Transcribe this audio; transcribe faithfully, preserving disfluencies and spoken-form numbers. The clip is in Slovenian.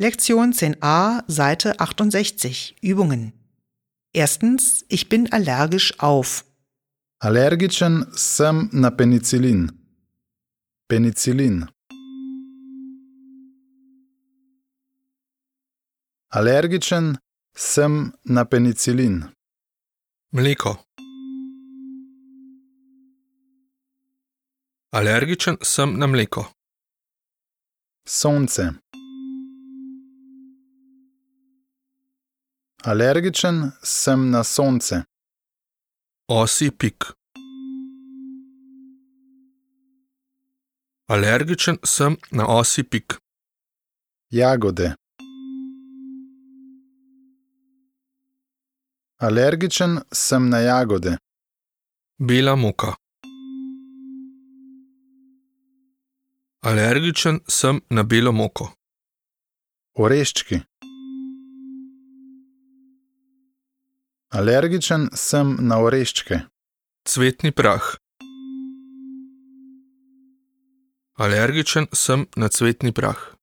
Lektion zehn a, Seite achtundsechzig, Übungen. Erstens, ich bin allergisch auf. Alergičen sem na penicilin. Penicilin. Alergičen sem na penicilin. Mleko. Alergičen sem na mleko. Sonce. Alergičen sem na sonce. Osji pik. Alergičen sem na osji pik. Jagode. Alergičen sem na jagode. Bela moka. Alergičen sem na belo moko. Oreščki. Alergičen sem na oreščke. Cvetni prah. Alergičen sem na cvetni prah.